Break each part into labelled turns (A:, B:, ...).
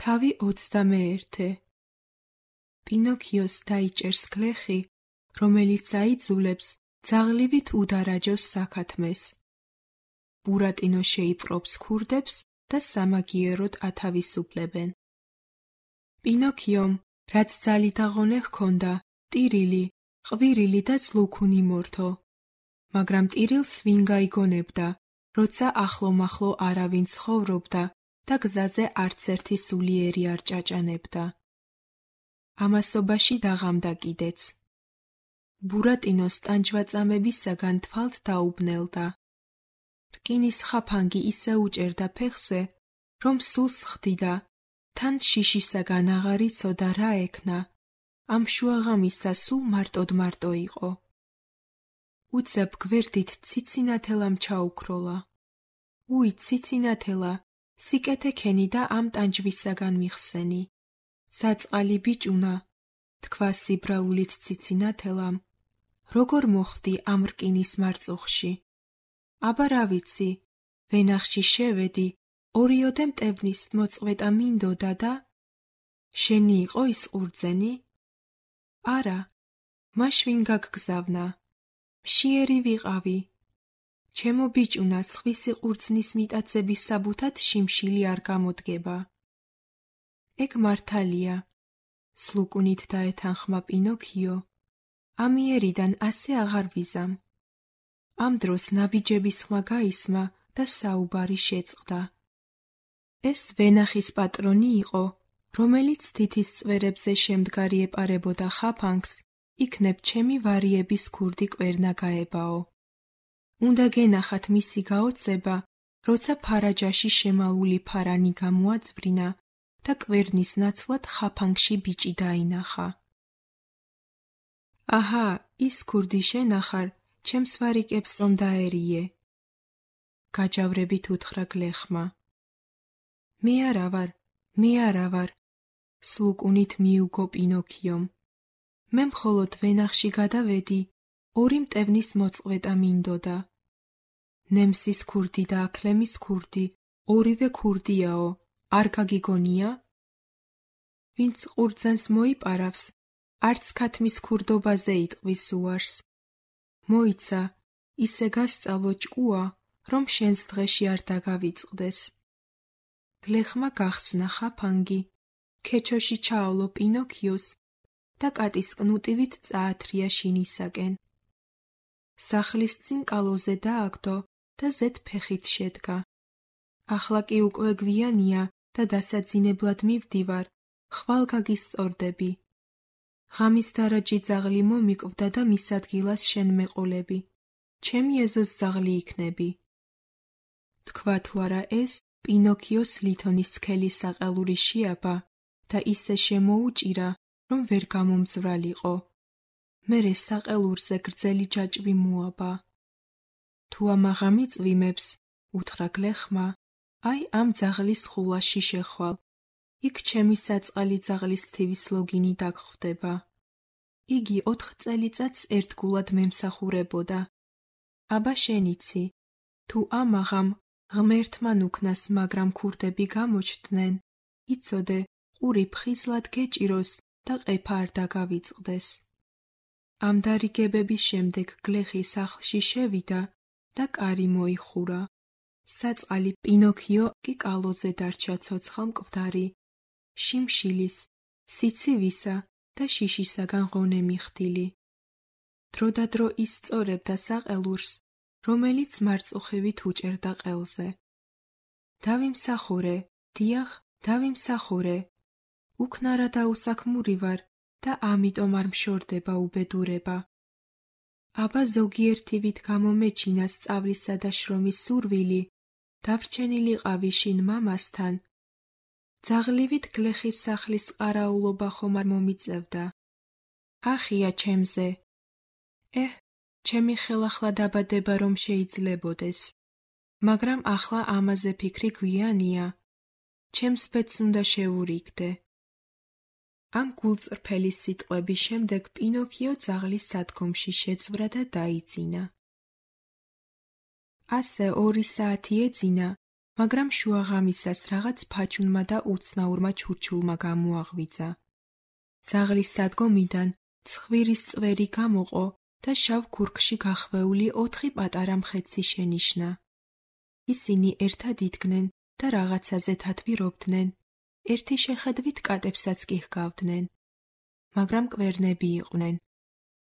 A: თავი 21. პინოქიოს დაიჭერს გლეხი, რომელიც აიძულებს ძაღლივით udaraჯოს საქათმეს. ბურატინო შეიპყრობს ქურდებს და სამაგიეროდ ათავისუფლებენ. პინოქიომ, რაც ძალით აღონე ჰქონდა, ტირილი, ყვირილი და ძლუქუნი მორთო. მაგრამ ტირილს ვინ გაიგონებდა, როცა ახლომახლო არავინ ცხოვრობდა და გზაზე არც ერთი სულიერი არ ჭაჭანებდა. ამასობაში დაღამდა კიდეც. ბურატინოს ტანჯვაწამებისაგან თვალთ დაუბნელდა. რკინის ხაფანგი ისე უჭერდა ფეხზე, რომ სულს ხდიდა, თან შიშისაგან აღარ იცოდა რა ექნა, ამ შუაღამისა სულ მარტოდ იყო. უცებ გვერდით ციცინათელამ ჩაუქროლა. უი, ციცინათელა, სიკეთე ქენი და ამ ტანჯვისაგან მიხსენი. საწყალი ბიჭუნა, თქვა სიბრალულით ციცინათელამ, როგორ მოხვდი ამ რკინის მარწუხში? აბა რა ვიცი, ვენახში შევედი, ორიოდე მტევნის მოწყვეტა მინდოდა და... შენი იყო ის ყურძენი? არა, მაშ ვინ გაგგზავნა? მშიერი ვიყავი. ჩემო ბიჭუნა, სხვისი ყურძნის მიტაცების საბუთად შიმშილი არ გამოდგება. ეგ მართალია, სლუკუნით დაეთანხმა პინოქიო. ამიერიდან ასე აღარ ვიზამ. ამ დროს ნაბიჯების ხმა გაისმა და საუბარი შეწყდა. ეს ვენახის პატრონი იყო, რომელიც თითის წვერებზე შემდგარი ეპარებოდა ხაფანგს, იქნებ ჩემი ვარიების ქურდი კვერნა გაებაო. უნდა გენახათ მისი გაოცება, როცა ფარაჯაში შემალული ფარანი გამოაწვრინა და კვერნის ნაცვლად ხაფანგში ბიჭი დაინახა. აჰა, ის ქურდი შენახარ, ჩემს ვარიკებს რომ დაერიე. გაჯავრებით უთხრა გლეხმა. მე არა ვარ, სლუკუნით მიუგო პინოქიომ. მე მხოლოდ ვენახში გადავედი, ორი მტევნის მოწყვეტა მინდოდა. ნემსის ქურდი და აქლემის ქურდი, ორივე ქურდიაო, არ გაგიგონია? ვინც ყურძენს მოიპარავს, არც ქათმის ქურდობაზე იტყვის უარს. მოიცა, ისე გასწავლო ჭკუა, რომ შენს დღეში არ დაგავიწყდეს. გლეხმა გახსნა ხაფანგი, ქეჩოში ჩაავლო პინოქიოს და კატის კნუტივით წაათრია შინისაკენ. სახლის წინ კალოზე დააგდო და ზედ ფეხით შედგა. ახლა კი უკვე გვიანია და დასაძინებლად მივდივარ, ხვალ გაგისწორდები. ღამის დარაჯი ძაღლი მომიკვდა და მის ადგილას შენ მეყოლები. ჩემი ეზოს ძაღლი იქნები. თქვა თუ არა ეს, პინოქიოს ლითონის სქელი საყელური შეაბა და ისე შემოუჭირა, რომ ვერ გამომძვრალიყო. მერე საყელურზე გრძელი ჯაჭვი მოაბა. თუ ამაღა მიწვიმებს, უთხრა გლეხმა, აი ამ ძაღლის ხულაში შეხვალ. იქ ჩემი საწყალი ძაღლის თივის ლოგინი დაგხვდება. იგი 4 წელიწადს ერთგულად მემსახურებოდა. აბა შენიცი, თუ ამაღამ ღმერთმა ნუქნას მაგრამ ქურდები გამოჩნდნენ, იცოდე, ყური ფხიზლად გეჭიროს და ყეფა არ დაგავიწყდეს. ამ დარიგებების შემდეგ გლეხი სახლში შევიდა და კარი მოიხურა. საწყალი პინოქიო კი კალოზე დარჩა ცოცხალ-მკვდარი, შიმშილის, სიცივისა და შიშისაგან ღონე მიხდილი. დროდადრო ისწორებდა საყელურს, რომელიც მარწუხივით უჭერდა ყელზე. დავიმსახურე, დიახ, დავიმსახურე. უქნარა დაუსაქმური ვარ და ამიტომ არ მშორდება უბედურება. აბა ზოგიერთივით გამომეჩინა სწავლისა და შრომის სურვილი, დავრჩენილიყავი შინ მამასთან. ძაღლივით გლეხის სახლის ყარაულობა ხომ არ მომიწევდა. ახია ჩემზე. ჩემი ხელახლა დაბადება რომ შეიძლებოდეს. მაგრამ ახლა ამაზე ფიქრი გვიანია. ჩემს ბედს უნდა შევურიგდე. ამ გულწრფელი სიტყვების შემდეგ პინოქიო ძაღლის სადგომში შეძვრა და დაიძინა. ასე 2 საათი ეძინა, მაგრამ შუაღამისას რაღაც ფაჩუნმა და უცნაურმა ჩურჩულმა გამოაღვიძა. ძაღლის სადგომიდან ცხვირის წვერი გამოყო და შავ ქურქში გახვეული 4 პატარა მხეცი შენიშნა. ისინი ერთად იდგნენ და რაღაცაზე თათბირობდნენ, ერთი შეხედვით კატებსაც კი ჰგავდნენ. მაგრამ კვერნები იყვნენ,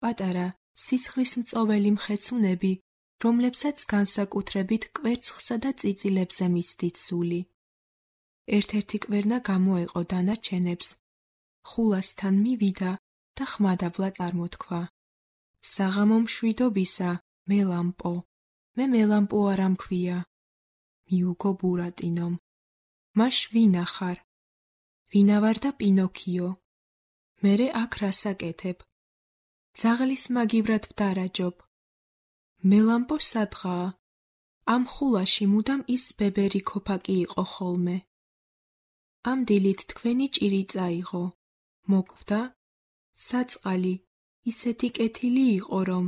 A: პატარა სისხლის მწოველი მხეცუნები, რომლებსაც განსაკუთრებით კვერცხსა და წიწილებზე მისდით სული. ერთ-ერთი კვერნა გამოეყო დანარჩენებს, ხულასთან მივიდა და ხმადაბლა წარმოთქვა. საღამო მშვიდობისა, მელამპო, მე მელამპო არ ამქვია, მიუგო ბურატინომ. მაშ ვინა ხარ? ვინა ვარ და პინოქიო. მერე აქ რას აკეთებ? ძაღლის მაგივრად ვდარაჯობ. მელამპო სადღაა? ამ ხულაში მუდამ ის ბებერი ქოფაკი იყო ხოლმე. ამ დილით თქვენი ჭირი წაიღო. მოკვდა? საწყალი ისეთი კეთილი იყო, რომ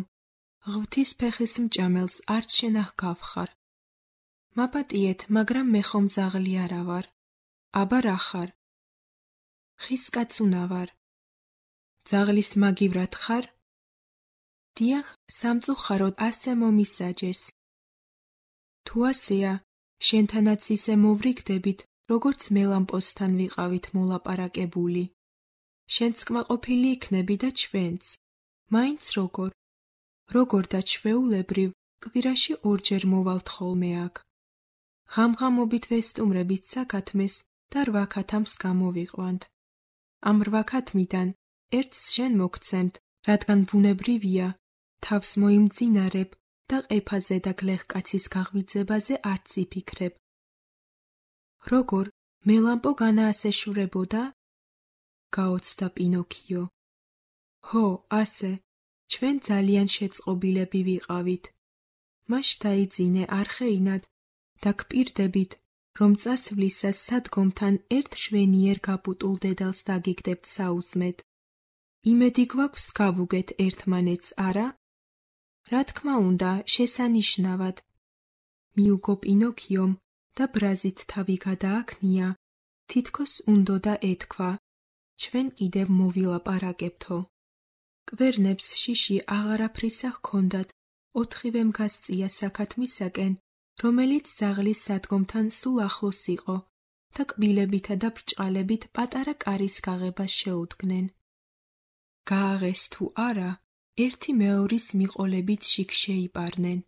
A: ღვთის ფეხის მჭამელს არც შენახგავხარ. მაპატიეთ, მაგრამ მე ხომ ძაღლი არა ვარ. აბა რა ხარ? ხის კაცუნა ვარ. ძაღლის მაგივრად ხარ? დიახ, სამწუხაროდ ასე მომისაჯეს. თუ ასეა, შენთანაც ისე მოვრიგდებით, როგორც მელამპოსთან ვიყავით მოლაპარაკებული. შენც კმაყოფილი იქნები და ჩვენც. მაინც როგორ და ჩვეულებრივ კვირაში 2 ჯერ მოვალთ ხოლმე აქ. ღამღამობით ვესტუმრებით საქათმეს და 8 ქათამს გამოვიყვანთ. ამ 8 ქათმიდან ერთს შენ მოგცემთ, რადგან ბუნებრივია, თავს მოიმძინარებ და ყეფაზე და გლეხკაცის გაღვიძებაზე არც იფიქრებ. როგორ, მელამპო განაასეშვრებოდა? გაოცდა პინოქიო. ჰო, ასე, ჩვენ ძალიან შეწყობილები ვიყავით. მაშ დაიძინე არხეინად და გპირდებით, რომ წასვლისას სადგომთან ერთ შვენიერ გაბუტულ დედალს დაგიგდებთ საუზმედ. იმედი გვაქვს გავუგეთ ერთმანეთს, არა? რა თქმა უნდა, შესანიშნავად. მიუგო პინოქიომ და ბრაზით თავი გადააქნია, თითქოს უნდოდა ეთქვა, ჩვენ კიდევ მოვილაპარაკებთო. კვერნებს შიში აღარაფრისა ჰქონდათ, 4-ვემ გასწია საქათმისაკენ, რომელიც ძაღლის სადგომთან სულ ახლოს იყო და კბილებითა და ბრჭყალებით პატარა კარის გაღებას შეუდგნენ. გააღეს თუ არა, ერთი მეორის მიყოლებით შიგ შეიპარნენ.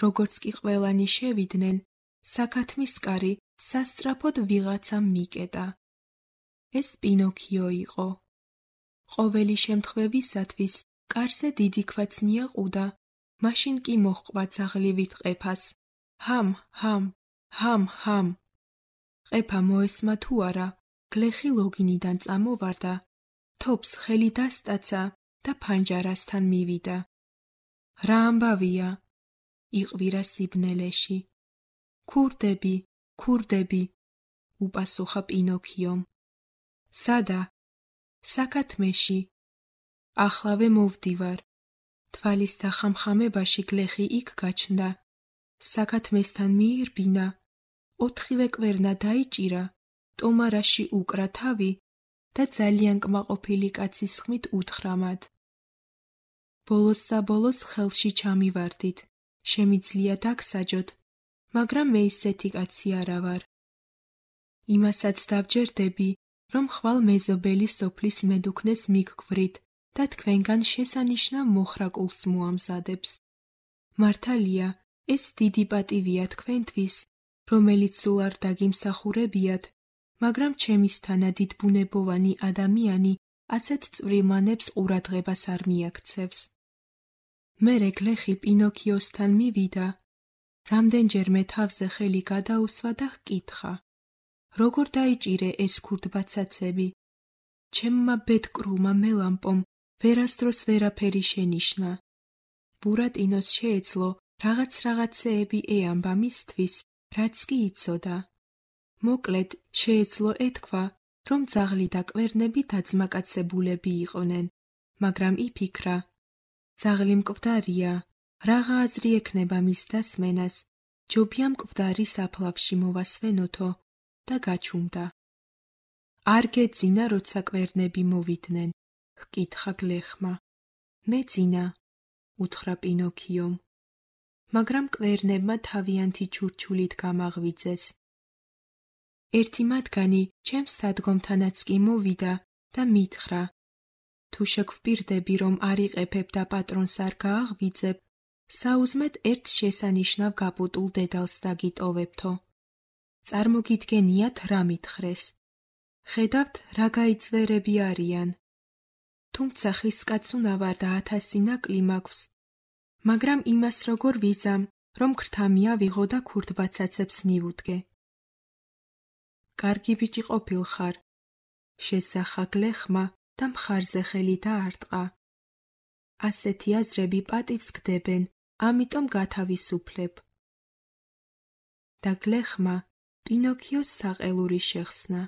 A: როგორც კი ყველანი შევიდნენ, საქათმის კარი სასწრაფოდ ვიღაცამ მიკეტა. ეს პინოქიო იყო. ყოველი შემთხვევისათვის კარზე დიდი ქვაც მიაყუდა, მაშინ კი მოჰყვა ძაღლივით ყეფას. ჰამ, ჰამ, ჰამ, ჰამ. ყეფა მოესმა თუ არა, გლეხი ლოგინიდან წამოვარდა, თოფს ხელი დასტაცა და ფანჯარასთან მივიდა. რა ამბავია? იყვირა სიბნელეში. ქურდები, ქურდები, უპასუხა პინოქიომ. სადა? საქათმეში. ახლავე მოვდივარ. თვალის დახამხამებაში გლეხი იქ გაჩნდა. საქათმესთან მიირბინა, 4-ვე კვერნა დაიჭირა, ტომარაში უკრა თავი და ძალიან კმაყოფილი კაცის ხმით უთხრა მათ. ბოლოს და ბოლოს ხელში ჩამივარდით, შემიძლია დაგსაჯოთ, მაგრამ მე ისეთი კაცი არა ვარ. იმასაც დავჯერდები, რომ ხვალ მეზობელი სოფლის მედუქნეს მიგგვრით და თქვენგან შესანიშნავ მოხრაკულს მოამზადებს. მართალია, ეს დიდი პატივია თქვენთვის, რომელიც სულ არ დაგიმსახურებიათ, მაგრამ ჩემისთანა დიდბუნებოვანი ადამიანი ასეთ წვრილმანებს ყურადღებას არ მიაქცევს. მერე გლეხი პინოქიოსთან მივიდა, რამდენჯერმე თავზე ხელი გადაუსვა და ჰკითხა. როგორ დაიჭირე ეს ქურდბაცაცები? ჩემმა ბედკრულმა მელამპომ ვერასდროს ვერაფერი შენიშნა. ბურატინოს შეეძლო რაღაცეები ეამბა მისთვის, რაც კი იცოდა. მოკლედ, შეეძლო ეთქვა, რომ ძაღლი და კვერნები დაძმაკაცებულები იყვნენ, მაგრამ იფიქრა, ძაღლი მკვდარია, რაღა აზრი ექნება მის დასმენას, ჯობია მკვდარი საფლავში მოვასვენოთო და გაჩუმდა. არ გეძინა, როცა კვერნები მოვიდნენ, ჰკითხა გლეხმა. მე ძინა, უთხრა პინოქიომ. მაგრამ კვერნებმა თავიანთი ჩურჩულით გამაღვიძეს. ერთი მათგანი ჩემს სადგომთანაც კი მოვიდა და მითხრა: თუ შეგვპირდები, რომ არ იყეფებ და პატრონს არ გააღვიძებ, საუზმედ ერთ შესანიშნავ გაპუტულ დედალს დაგიტოვებთო. წარმოგიდგენიათ, რა მითხრეს. ხედავთ, რა გაიძვერები არიან. თუმცა ხისკაცუნა ვარ და 1000 ნაკლი მაქვს, მაგრამ იმას როგორ ვიზამ, რომ ქრთამია ვიღო და ქურდბაცაცებს მივუდგე. კარგი ბიჭი ყოფილხარ, შესახა გლეხმა და მხარზე ხელი დაარტყა. ასეთი აზრები პატივს გდებენ, ამიტომ გათავისუფლებ. და გლეხმა პინოქიოს საყელური შეხსნა.